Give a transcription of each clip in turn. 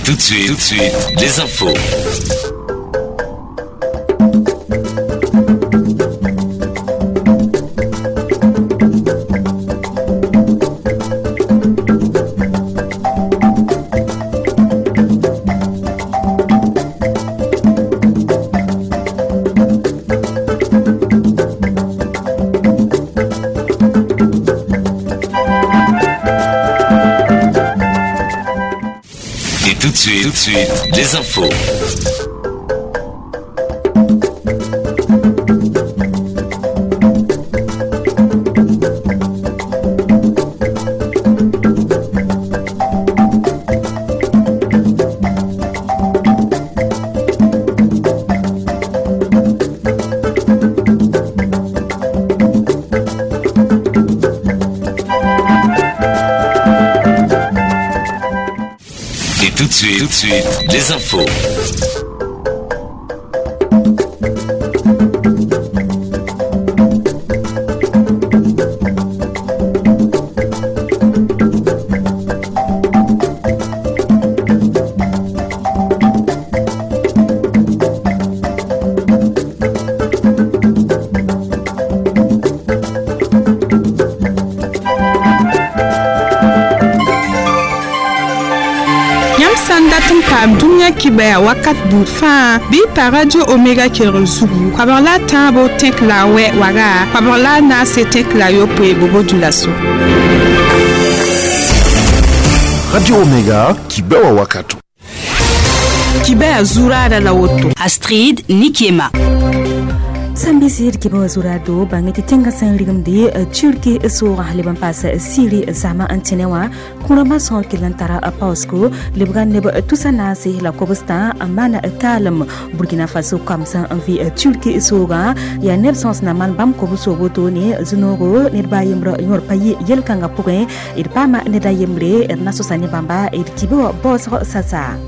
Tout de suite, les infos. Tout de suite, les infos. Tout de suite, les infos. Kibaya wakat buud fãa bɩ pa Radio Omega kelg zugu koabg la a tãabo tẽk la a wɛ waga koabg la a naase tẽk la a yopoe bobo dula-so. Radio Omega kibewa wakato. Kibaya zuraada la woto. Astrid Nikiema. Sambisi d kibã wã zurado bãng tɩ tẽngã sẽn rigimde Turki soogã leb n paas Siri zãma n tẽne wã kũrãmbã sõor kell n tara paoosgo lebga neb tusa naase la kobstã n maan kaalem Burkina Faso kamsã n vɩ Turki soogã yaa neb sõs na maan bãmb kob soog wotone zũ-noogo ned baa yembrã yõor pa yɩ yel-kãngã pʋgẽ d paama ned a yembre d na sosa ne bãmba d kibã wã baoosg sasa.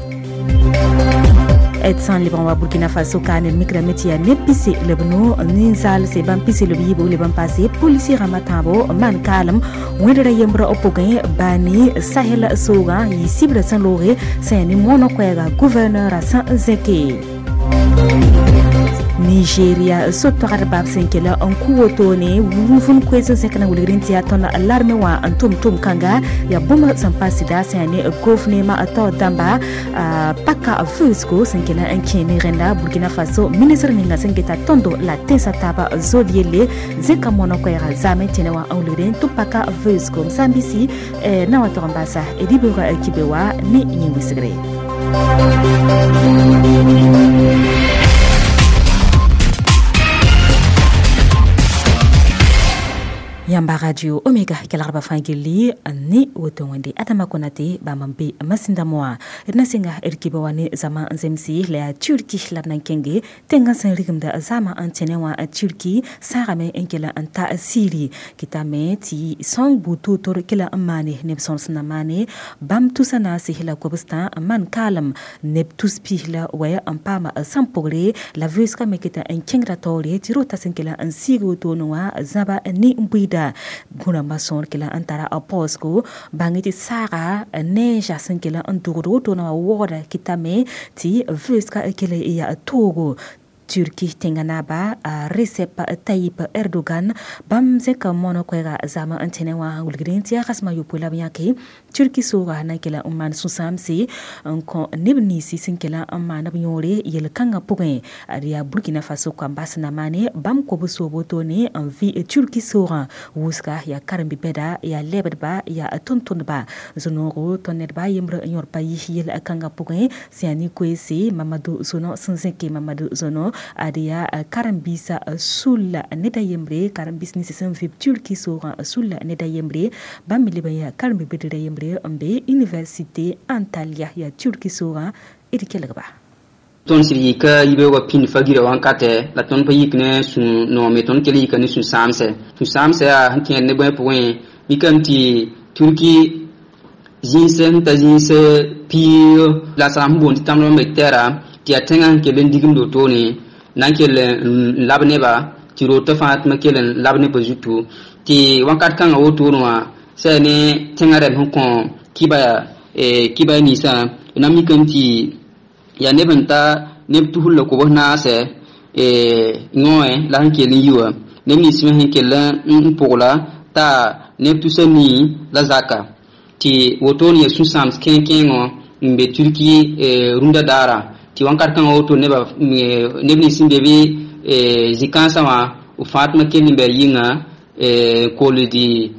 D sã n lebg n wa Burkina Faso ka ned mikrame tɩ yaa neb pise la b no ninsaal bãmb pise la b yiibo leb n paase polisi rãmbã tãabo n maan kaalem wẽdra yembrã pʋgẽ baani Sahel soogã yɩ sɩbrã sẽn looge sẽn yaa ne moonã koɛɛga gouverneurã sẽn zẽke. Nigeria sot-toagdba b sẽn kela n kʋ wotone vũn koees n zẽk na wilgr n tɩ yaa tõnd larme wã n tʋm tʋm-kãnga yaa bũmb sẽn pa sɩda sẽn yaa ne gofnema tao dãmba paka vʋʋsgo sẽn kela n kẽ ne rẽnda Burkina Faso ministr ninga sẽn geta tõndo la tẽnsã taaba zod yelle zẽka moonã koɛɛga zaame tẽne wã n wilgre tɩ paka vʋʋsgo m sã n bisi na wa tog n baasa d yibeoogã kibe wa ne yẽ wɩsgre. Yamba Radio Omega kelgrba fãa gilli ne woto wẽnde Adama Konate bãmb n be masĩndã moã d na sɩnga d kibã wã ne zãma n zemse la yaa Turki la d na n kẽnge tẽngã sẽn rigimda zãma n tẽne wã Turki sãagame n kell n ta Siri kɩtame tɩ sõng buud toor-toor kela n maane neb sõrs na maane bãmb tusa naase la kobstã n maan kaalem neb tus pis la wɛ n paama sãn pʋgre la vʋʋsgã me keta n kẽngda taoore tɩ rota sẽn kela n siig wotone wã zãba ne n buiida gũrãmbã sõor kela n tara a paoosgo bãng tɩ saaga neega sẽn kela n dʋgd wotone wã waooda kɩtame tɩ vʋʋsga kell yaa toogo. Turki tẽngã naaba Recep Tayyip Erdogan bãmb zẽka moonã koɛɛga zãma n tẽne wã wilgd tɩ yaa kãsem a yopoe la b yãke Turki soogã na n kela n maan sũ-sãamse n kõ neb ninsi sẽn kela n maan b yõore yel-kãngã pʋgẽ d yaa Burkina Faso kambas na maane bãmb kob soob wotone n vɩ Turki soogã wʋsga yaa karen-bi-bɛda yaa lɛbdba yaa tʋm-tʋmdba zũ-noogo tõnd ned baa yembrã n yõor pa yis yel-kãngã pʋgẽ sẽn yaa nin-koeese Mamadou Zono sẽn zẽke Mamadou Zono ad yaa karen-biisã sulla ned a yembre karen-biis nins sẽn vɩb Turki soogã sulla ned a yembre bãmb me leb n yaa karen-bi-bɩdra yembre n be université Antalya yaa Turki soogã d kelgba. Tõnd sɩd yika yibeoogã pĩnd fa-girã wãnkatɛ la tõnd pa yik ne sũ-noome tõnd kell yika ne sũ-sãamsɛ sũ-sãamsɛ yaa sẽn kẽed ne bõe pʋgẽ mikame tɩ Turki zĩis sẽn ta zĩis piig la sã n boond tɩ tãmb me tɛra tɩ yaa tẽngã sẽn kell n digimd wotone na n kell n lab neba tɩ rota fãa tɩ ma kell n lab nebã zutu tɩ wãnkat kãngã wotone wã sã ne tẽngã rɛm sẽn kõ kiba ninsã Na mikame tɩ yaa neb n ta neb tusr la kobs naasɛ yõe la sẽn kell n yi wã neb nins me sẽn kell n pʋgla t'a neb tusa nii la zaka tɩ wotone yaa sũ-sãams kẽeng-kẽengõ n be Turki rũndã daara tɩ wãnkat kãngã woto neb nins sẽn be bɩ zĩ-kãensã wã b fãatmã kell n bɩ a yɩnga koldi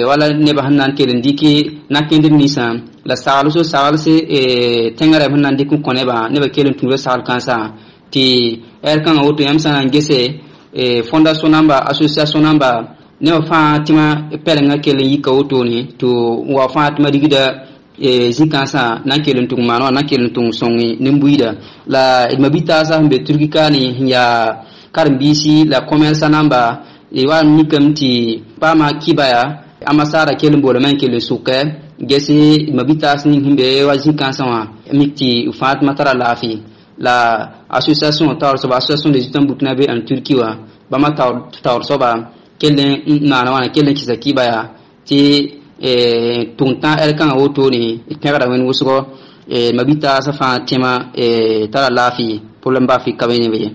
wala nebã sẽn na n kell n dɩk na-kẽndr ninsã la sagls saglse tẽngã rɛm sẽn na n dɩk n kõ nebã nebã kell n tũuda sagl kãensã tɩ ɛr kãngã woto yãmb sã na n gese fondation namba association namba nebã fãa tɩ pɛlengã kell n yika wotone tɩ wa fãa tɩ ma rigda zĩ-kãensã na n kell n tʋg maan wã na n kell n tʋg sõng nin-buiida la d mabitaasã sẽn be Turki kaane sẽn yaa karen-biisi la commerça namba wa n mikame tɩ paama kibaya amasaara kell n boolame n kell n sʋkɛ gese mabitaas ning sẽn be wa zĩ-kãensã wã mik tɩ fãatmã tara laafɩ la association taoor soaba association des étudiants burkinabé en Turquie wã bãmba taoor soaba kell n maana wãna kell n kɩsa kibaya tɩ tʋg tã ɛr kãngã wotone d pẽgda wẽnd wʋsgo mabitaasã fãa tẽmã tara laafɩ problème baa fɩ ka be ne be ye.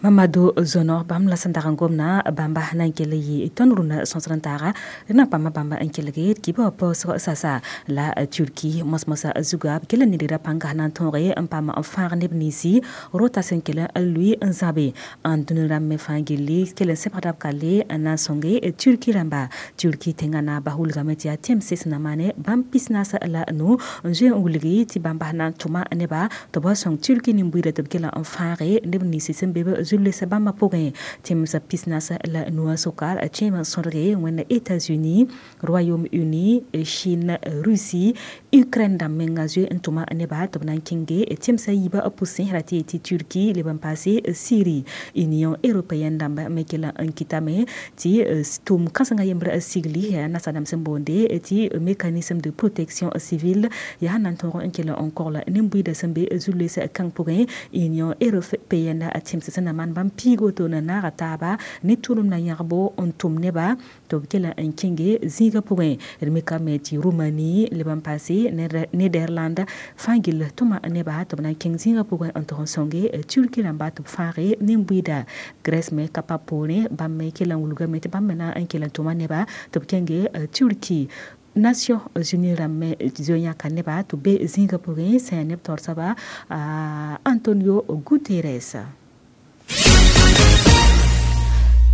Mamadou Zono bãmb la sẽn dag n gomna bãmba na n kell yɩ tõnd rũnã sõsd n taaga d na pãmba bãmba n kelge d kibã wã paoosg sasa la Turki mos-mosã zuga b kell n nidgra pãnga na n tõoge n paam n fãag neb ninsi rota sẽn kell n lʋɩ n zãbe n dũni rãmb me fãa gilli kell n sebgda b kalle n na n sõnge Turki rãmba. Turki tẽngã naaba wilgame tɩ yaa tẽmse sẽn na maane bãmb pisnaas la nu n zoe n wilgi tɩ bãmba na n tʋma neba tɩ b sõng Turki nin-buiida tɩ b kell n fãage neb ninsi sẽn be b zulesa bãmba pʋgẽ tẽmsã pisnaas la nuwã sʋka kẽemã sõdge wẽnna États-Unis, Royaume-Uni, Chine, Russie, Ukraine dãmb menga zoe n tʋma neba tɩ b na n kẽnge tẽmsã yiibã pʋsẽ ra tɩ yetɩ Turki leb n paase Syrie. Union européenne dãmb me kell n kɩtame tɩ tʋʋm kãsengã yembr sigli yaa nasadãmb sẽn boonde tɩ mécanisme de protection civile yaa na n tõog n kell n kogl nin-buiidã sẽn be zu-loees kãng pʋgẽ. Union européenne tẽmsã sẽn na maan bãmb piig woto na naaga taaba ne tʋlem na yãgbo n tʋm neba tɩ b kell n kẽnge zĩigã pʋgẽ. D mikame tɩ Roumanie leb n paase Nederland fãa gill tʋma neba tɩ b na n kẽng zĩigã pʋgẽ n tog n sõnge Turki rãmba tɩ b fãage nin-buiida. Grèce me ka pa poorẽ bãmb me kell n wilgame tɩ bãmb me na n kell n tʋma neba tɩ b kẽnge Turki. Nations Unies rãmb me zoe yãka neba tɩ b be zĩigã pʋgẽ sã yaa neb taoor soaba Antonio Guterres.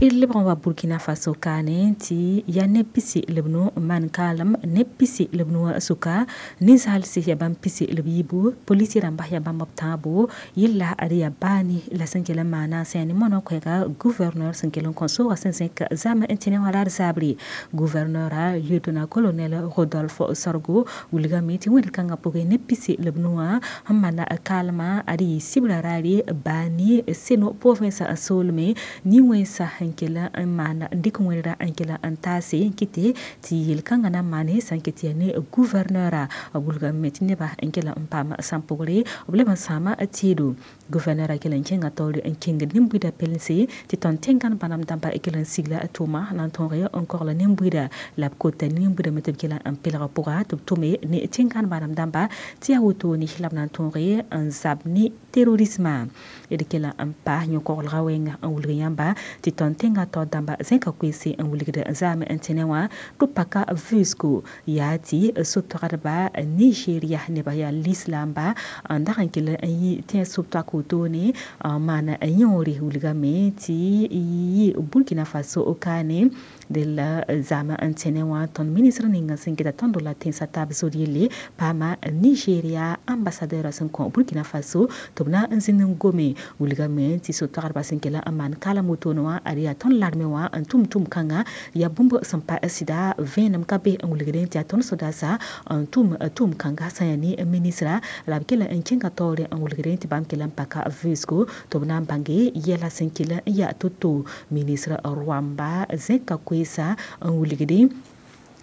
D lebg n wa Burkina Faso kaane tɩ yaa neb pisi la b nu n maan kaalem neb pisi la b nuwã sʋka ninsaalsi yaa bãmb pisi la b yiibu polisi rãmba yaa bãmb b tãabo yella ad yaa baani la sẽn kell n maana sã yaa ne moanã koɛɛga gouverneur sẽn kell n kõ soogã sẽn zẽk zãm n tẽ ne wã la d zaabre. Gouverneura lieutenant colonel Rodolphe Sorgo wilgame tɩ wẽnd kãngã pʋgẽ neb pisi la b nuwã n maana kaalmã ad yɩ sibra raare baani seno province n soolme nin-wẽnsa n kell n maana n dɩk wẽnra n kell n taase n kɩte tɩ yel-kãngã na n maane sã n ket tɩ yaa ne gouverneura wilgame tɩ nebã n kell n paam sãn-pʋgre b leb n sãama teedo. Gouverneura kell n kẽnga taoore n kẽngd nin-buiidã pelse tɩ tõnd tẽngãn bãmb dãmba kell n sigla tʋʋma na n tõog n kogl nin-buiida la b kota nin-buiidã me tɩ b kell n pelg pʋga tɩ b tʋme ne tẽngãn bãmb dãmba tɩ yaa wotone la b na n tõog n zab ne terrorisme. D kell n pa yõ-koglgã wẽnga n wilg yãmba tɩ tõnd tẽngã taoor dãmba zẽka koeese n wilgd zaam n tẽne wã tɩ paka vʋʋsgo yaa tɩ so-toagdba Nigeria nebã yaa lislaamba n dag n kell n yi tẽ sob-toak wotone n maan yõore wilgame tɩ yɩ Burkina Faso kaane d la zaam n tẽne wã tõnd ministr ninga sẽn geta tõnd la tẽnsã taab zod yelle paama Nigeria ambassadeur sẽn kõ Burkina Faso tɩ b na n zĩnd n gome wilgame tɩ so-toagdba sẽn kell n maan kaalem wotone wã ad yaa tõnd larme wã n tʋm tʋm-kãngã yaa bũmb sẽn pa sɩda vẽenem ka be n wilgdẽ tɩ yaa tõnd sodaasã n tʋm tʋm-kãnga sã yaa ne ministra la b kell n kẽnga taoore n wilgdẽ tɩ bãmb kell n paka vʋʋsgo tɩ b na n bãnge yɛla sẽn kell n yaa to-to. Ministr Rwamba zẽka koeesa n wilgdẽ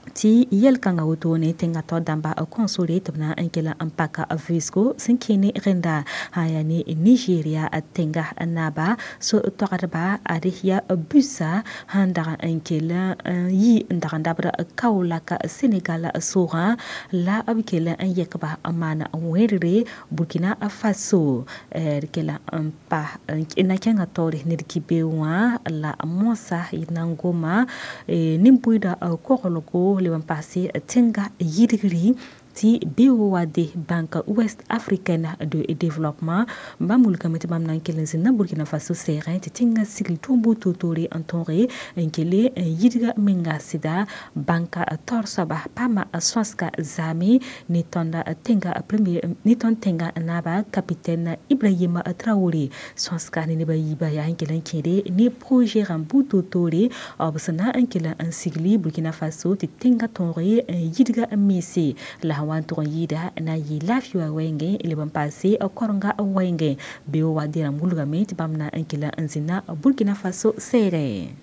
Tɩ yɛl-kãngã wotone tẽngã tao dãmba kõnsore tɩ b na n kell n paka vɩɩsgo sẽn kẽ ne rẽnda sã yaa ne Nigeria tẽnga naaba so-toagdba ad yaa busa sẽn dag n kell n yi n dag n dabd Kaolack Senegal soogã la b kell n yɛkba n maan wẽdre Burkina Faso d kell n pa na kẽngã taoore ned ki-be wã la moasã na n goma nin-buiidã koglgo leb n paase tẽnga yidgri tɩ BOAD Banque Ouest Africaine de Développement bãmb wilgame tɩ bãmb na n kell n zĩnda Burkina Faso sɛɛgẽ tɩ tẽngã sigl tʋʋm toor-toore n tõoge n kele n yidga menga sɩda bãnka taoor soaba paama sõsga zaame ne tõnd tẽnga premier ne tõnd tẽnga naaba capitaine Ibrahim Traoré sõsga ne neb a yiibã yaa n kell n kẽede ne projet rãmb buud toor-toore b sẽn na n kell n sigli Burkina Faso tɩ tẽngã tõoge n yidga mense la sẽn wa n tʋg n yɩɩda na n yɩ laafɩ wã wɛɛngẽ leb n paase korenga wɛɛngẽ BOAD rãmb wilgame tɩ bãmb na n kell n zĩnda Burkina Faso sɛɛgẽ.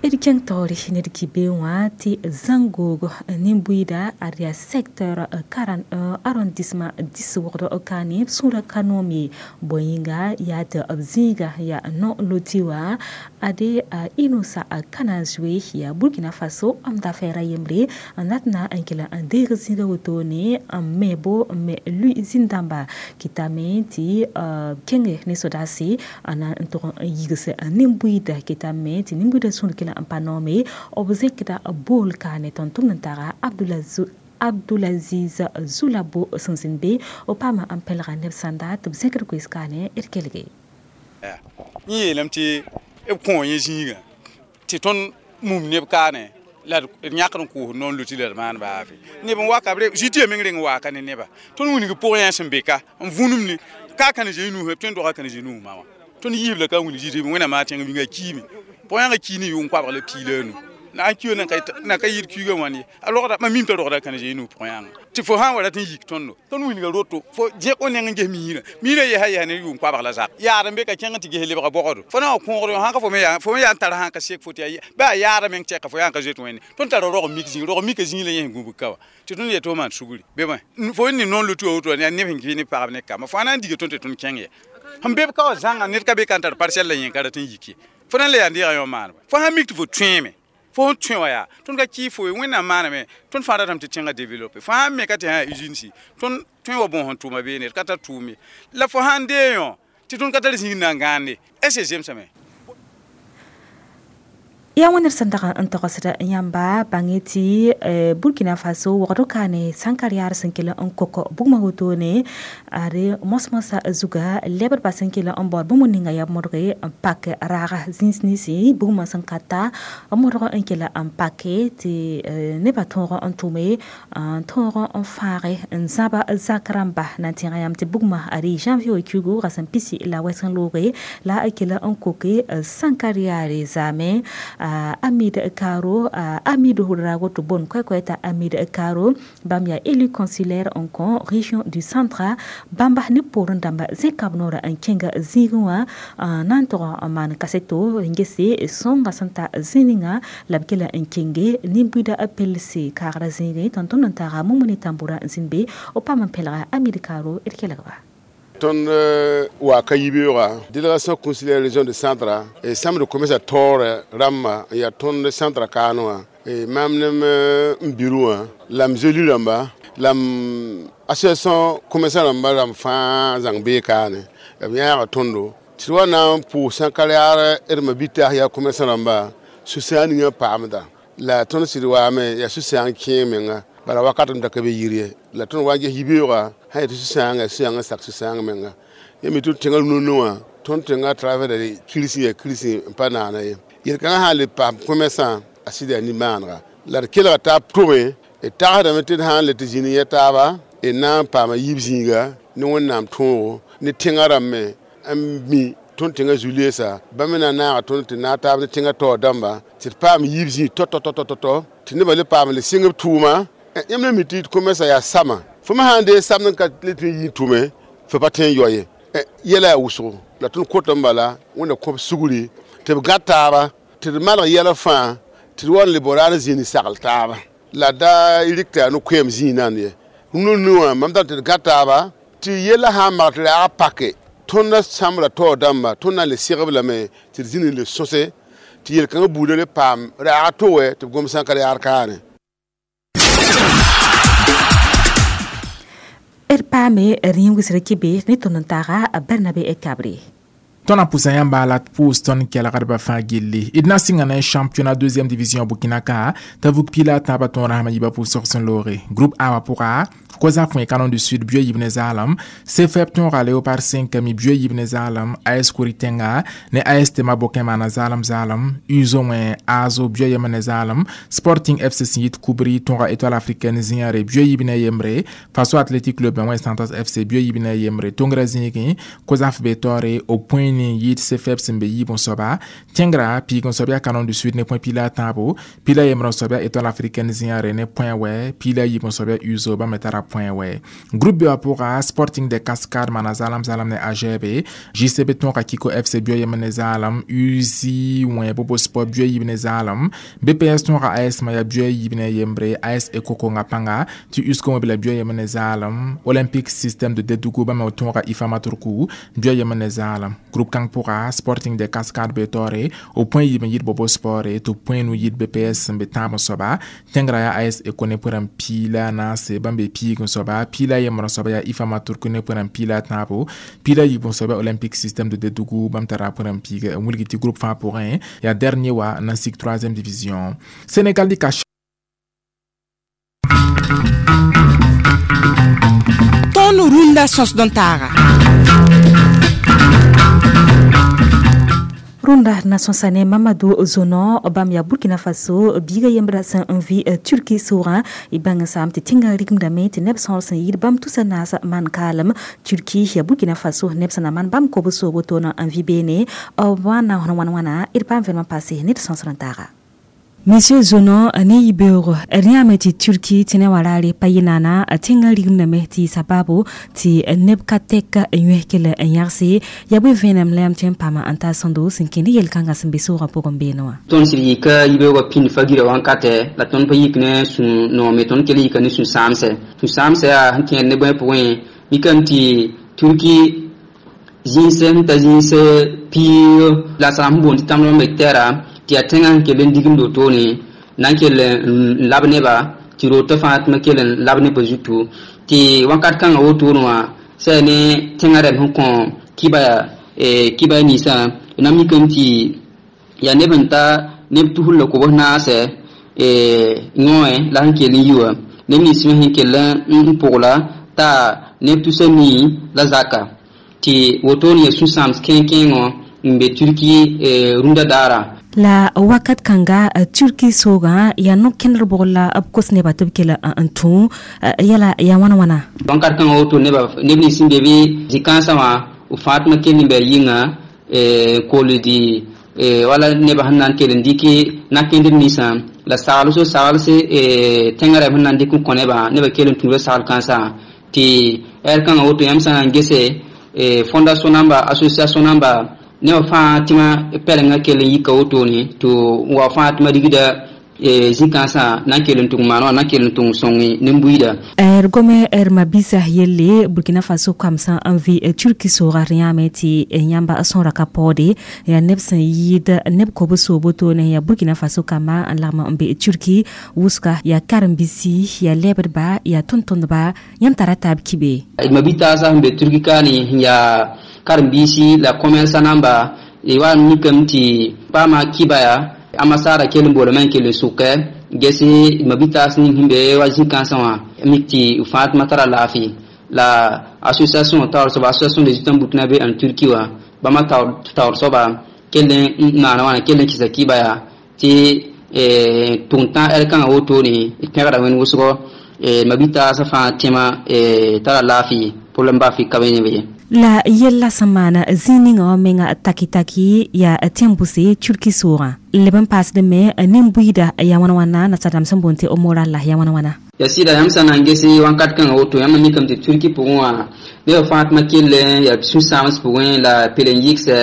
D kẽng taoore ned ki-be wã tɩ zãn-googo nin-buiida ad yaa secteur 41 arrondissement 10 wogd kaane b sũurã ka noom ye bõe yĩnga yaa tɩ b zĩiga yaa no-loti wã ade Inoussa Kanazoe yaa Burkina Faso m dafɛɛra yembre n dat na n kell n deeg zĩiga wotone n me-bo n me lui zĩn-dãmba kɩtame tɩ kẽnge ne sodaase n na n tʋg n yigs nin-buiida kɩtame tɩ nin-buiidã sũur kell n pa noome b zẽkda bool kaane tõnd tʋmd n tara Abdulaziz Zulabo sẽn zĩnd be b paama n pɛlga neb sãnda tɩ b zẽkd koees kaane d kelge. Yẽ yeelame tɩ b kõ yẽ zĩigã tɩ tõnd mum neb kaane la d yãkd n koosd noor loti la d maan baafe neb n waka b ziti meng reng waaka ne neba tõnd wilg pʋgẽ yã sẽn be ka n vũnum ne ka kãne zoe nuusã tõe n doga kãne zoe nuus ma wã tõnd yiib la ka wilg ziti wẽnnaam a tẽng winga kiime pʋgã ki ne yʋng koabg la piila a nu na n kiyo na ka yɩɩd kiuugã wãn ye a rogda mam mim t'a rogda kãne zoe nuus pʋgã yãnga tɩ fo sã n wa rat n yik tõndo tõnd wilga roto fo zẽk o neng n ges miirã miirã yɛsa yɛsa ne yʋng koabg la zak yaad n be ka kẽng tɩ ges lebga bɔgdo fo na wa kõogd sã ka fo me yaa fo me yaa n tar sã n ka sek fo tɩ yaa bɩ a yaada meng tɛka fo yaa n ka zoet wẽnde tõnd tara rog mik zĩig rog mika zĩig la yẽ sẽn gũbg ka wa tɩ tõnd yetɩ fo maan sugri be bõe fo ne noor lotu wã woto yaa neb sẽn kɩ ne pagb ne kamba fo na n diga tõnd tɩ tõnd kẽng ya sẽn be b ka wa zãnga ned ka be ka n tar parcelle la yẽ ka rat n yik ye fo na n le yaa n deega yõ maaneba fo sã n mik tɩ fo tõeeme fo sẽn tõe wã yaa tõnd ka kɩ fo ye wẽnnaam maaname tõnd fãa ratame tɩ tẽngã développer fo sã n me ka tɩ sã usine si tõnd tõe wa bõos n tʋʋma beene d ka tar tʋʋm ye la fo sã n dee yõ tɩ tõnd ka tar zĩig na n gãande est ce zemsame. Ya wẽnd sẽn dag n togsd yãmba bãnge tɩ Burkina Faso wogd kaane sãnkar yaar sẽn kell n kok bugmã wotone ad mos-mosã zuga lebdbã sẽn kell n baood bũmb ninga yaa modge n pak raaga zĩns ninsi bugmã sẽn ka ta modg n kell n pake tɩ nebã tõog n tʋme n tõog n fãage n zãba zak rãmba na n tẽga yãmb tɩ bugmã ad janvier wã kiugu ra sẽn pisi la wɛsg n looge la a kell n koke sãnkar yaare zaame Amid Karo Amid Hurago to bon koy ta Amid Karo bam ya élu consulaire en kon région du centre bamba ne porun damba zekab nora en kenga zigwa nan to man kaseto ngese songa santa zininga labkela en kenge nimbuda appelc kara zinge tonton ntara mumuni tambura zinbe o pam pelra Amid Karo erkelagba. Tõnd wa ka yibeoogã délégation consulaire région de centre e chambre de commerce taoore rãmbã n yaa tõnd centre kaane wã maam nem n biru wã la m zeli rãmba la m association commerçant rãmba rãmb fãa zãng bee kaane b yãaga tõndo tɩ d wa na n pʋʋs sãnkar yaar d ma-bitaas yaa commerçant rãmba sũ-sãang ninga paamda la tõnd sɩd waame yaa sũ-sãang kẽeg menga bala wakat m da ka be yir ye la tõnd wa n ges yibeoogã sã yetɩ sũ-sãangã sũ-sãangã sak sũ-sãang menga yẽ me tɩ tẽngã rũnã wã tõnd tẽngã travers da kirsi ya kirsi n pa naana ye yel-kãngã sã n le paam commerçant a sɩd yaa nimaanega la d kelga taab tʋme d tagsdame tɩ d sã n le tɩ zĩnd yẽ taaba d na n paama yiib zĩiga ne wẽnnaam tõogo ne tẽngã rãmb me n mi tõnd tẽngã zu-leesa bãmb me na n naaga tõnd tɩ naag taab ne tẽngã taoor dãmba tɩ d paam yiib zĩig tɔ-tɔ-tɔ-tɔ tɩ nebã le paam le sɩng b tʋʋma yãmb la mi tɩ commerçant yaa sama fo me sã n dee samd n ka le tɩ n yĩn tʋme fo pa tõe n yao ye yɛla yaa wʋsgo la tõnd kotame bala wẽnda kõb sugri tɩ b gã taaba Tɩ d malg yɛla fãa tɩ d wa n le bao raar n zĩnd sagl taaba la da rɩk tɩ yaa no-koɛɛm zĩigã ye nu wã mam dat tɩ d gã taaba tɩ yella sã n mag tɩ raag pake tõnd sãmbra taoor dãmba tõnd na n le segb lame tɩ d zĩnd n le sõse tɩ yel-kãngã buudã le paam raag to wɛ tɩ b gom sã n ka yaad kaane. D paame rĩm-wɩsr kibe ne tõnd n taaga Barnabe Kabre. Tõnd na pʋsa yãmba la d pʋʋs tõnd kelgdbã fãa gilli. D na sɩnga ne championnat deuxième division Burkina ka t'a vug pila a tãabã tõog rasmã yiibã pʋʋsg sẽn looge. Groupe A wã pʋga Koza fõe Canon du Sud buya yiib ne zaalem, CFEP tõoga Léopard 5 mi buya yiib ne zaalem, AS Kouritenga ne AS Tema Bokin maana zaalem zaalem, USO wẽ ASO buya yem ne zaalem, Sporting FC sẽn yit Koubri tõoga Étoile africaine zĩyãre buya yiib ne yembre, Faso Athletic Club wẽ Santos FC buya yiib ne yembre, Tongra zĩigẽ Kozaf be taoore o point ne yit CFEP sẽn be yiib n soaba, tẽngra piig n soab yaa Canon du Sud ne point pila a tãabo, pila yembre n soab yaa Étoile africaine zĩyãre ne point wɛ, pila yiib n soab yaa USO bãmb me tara point wɛ. Groupe B wã pʋga Sporting de Cascade maana zaalem zaalem ne AGB, JCB tõoga Kiko FC buya yem ne zaalem, USI wẽ Bobo Sport buya yiib ne zaalem, BPS tõoga AS Maya buya yiib ne yembre, AS Ekokonga pãnga tɩ USCO wẽ bela buya yem ne zaalem, Olympic System de Dedougou bãmb me tõoga Ifama Turku buya yem ne zaalem. Groupe kãng pʋga Sporting de Cascade be taoore o point yiib n yit Bobo Sport tɩ point nu yit BPS sẽn be tãab n soaba, tẽngrã yaa AS Eko ne pʋrã piila naase bãmb be piig n soaba, piila yembr n soaba yaa Ifama Turku ne pʋrã piila tãabo, piila yiib n soaba Olympic System de Dedougou bãmb tara pʋrã piig n wilg tɩ groupe fãa pʋgẽ yaa dernier wa na n sig 3e division. Sénégal dɩka Tõnd rũndã sõsd n taaga. Rũndã na sõsa ne Mamadou Zono bãmb yaa Burkina Faso biiga yembra sẽn n vɩ Turki soogã y bãng n saam tɩ tẽngã rigimdame tɩ neb sõor sẽn yɩɩd bãmb tusa naas maan kaalem Turki yaa Burkina Faso neb sẽn na maan bãmb kob soobo toona n vɩ beene b wa na wãn wãna d paam vẽnem n paase ne d sõsr n taaga. Monsieur Zono ne yibeoogo d yãame tɩ Turki tɩ ne wa raare pa yɩ naana tẽngã rigimdame tɩ sabaabo tɩ neb ka tɛk yõe kell n yãgse yaa bõe vẽenem la yãmb tõe n paama n taa sõndo sẽn kẽnd yel-kãngã sẽn be soogã pʋgẽ beene wã. Tõnd sɩd yika yibeoogã pĩnd fa-girã wãnkatɛ la tõnd pa yik ne sũ-noome tõnd kell yika ne sũ-sãamsɛ. Sũ-sãamsɛ yaa sẽn kẽed ne bõe pʋgẽ mikame tɩ Turki zĩnsɛ sẽn ta zĩns piig la sã n boond tɩ tãmb me tɛra tɩ yaa tẽngã sẽn kell n digimd wotone na n kell n lab neba tɩ rootã fãa tɩ ma kell n lab nebã zutu tɩ wãnkat kãngã wotone wã sã ne tẽngã rɛm sẽn kõ kiba ninsã na mikame tɩ yaa neb n ta neb tusr la kobs naasɛ yõe la sẽn kell n yi wã neb nins me sẽn kell n pʋgla t'a neb tusa nii la zaka tɩ wotone yaa sũ-sãams kẽeng-kẽengõ n be Turki rũndã daara. La wakat kãnga Turki soogã yaa no-kẽndr bʋgr la b kos nebã tɩ b kell n tũ yɛla yaa wãna wãna. Wãnkat kãngã woto neb nins sẽn be bɩ zĩ-kãensã wã b fãa tɩ ma kell n bɩ a yĩnga kooldi wala nebã sẽn na n kell n dɩk na-kẽndr ninsã la sagls o sagls tẽngã rɛm sẽn na n dɩk n kõ nebã nebã kell n tũuda sagl kãensã tɩ ɛr kãngã woto yãmb sã n gese fondation namba association namba nebã fãa tɩ ma pɛlengã kell n yika wotone tɩ wa fãa tɩ ma rigda zĩ-kãensã na n kell n tʋg maan wã na n kell n tʋg sõng nin-buiida. D gome d mabisa yelle Burkina Faso kamsã n vɩ Turki soogã r yãame tɩ yãmba sõora ka paoode yaa neb sẽn yɩɩd neb kob soobo toone yaa Burkina Faso kambã n lagm n be Turki wʋsga yaa karen-biisi yaa lɛbdba yaa tʋm-tʋmdba yãmb tara taab kibe. D mabitaasã sẽn be Turki kaane sẽn yaa karen-biisi la commerçant namba wa n mikame tɩ paama kiba yaa amasara kell n boolame n kell n sʋkɛ gese mabitaas ning sẽn be wa zĩ-kãensã wã mik tɩ fãa tɩ ma tara laafɩ la association taoor soaba association des étudiants burkinabé en Turquie wã bãmba taoor soaba kell n maana wãna kell n kɩsa kiba yaa tɩ tʋg tã ɛl kãngã wotone d pẽgda wẽnd wʋsgɔ mabitaasã fãa tẽma tara laafɩ problème baa fɩ ka be neb ye. La yella sẽn maana zĩig ninga wã menga taki-taki yaa tẽn-bʋse Turki soogã leb n paasd me nin-buiida yaa wãna wãna nasadãmb sẽn boond tɩ moral la yaa wãna wãna. Ya sɩda yãmb sã na n gese wãnkat kãngã woto yãmb mikame tɩ Turki pʋgẽ wã nebã fãa tɩ ma kell yaa sũ-sãams pʋgẽ la pel n yɩgsɛ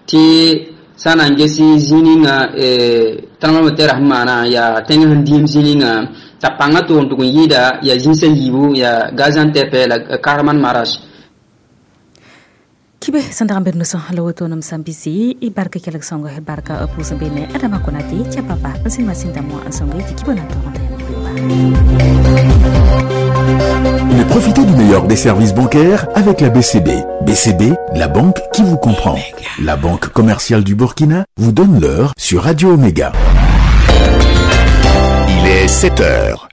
tɩ Sã n na n ges zĩig ninga tremblement sẽn maana yaa tẽng sẽn dĩim zĩig ninga t'a pãngã tʋg n tʋg n yɩɩda yaa zĩnsã yiibu yaa Gaziantep la Kahramanmaraş. Kibe sẽn dag n bed nusã la woto nem sã n bisi y barka kelg sõngo barka pʋʋs n be ne Adama Konate tɩ papa n sẽn masĩndã moã n sõngo tɩ kibã na n tog n ta yãmb. Mais profitez du meilleur des services bancaires avec la BCB. BCB, la banque qui vous comprend. La Banque commerciale du Burkina vous donne l'heure sur Radio Omega. Il est 7 heures.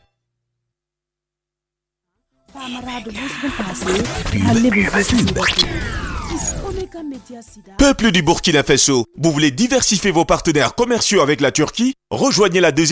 Peuple du Burkina Faso, vous voulez diversifier vos partenaires commerciaux avec la Turquie? Rejoignez la deuxième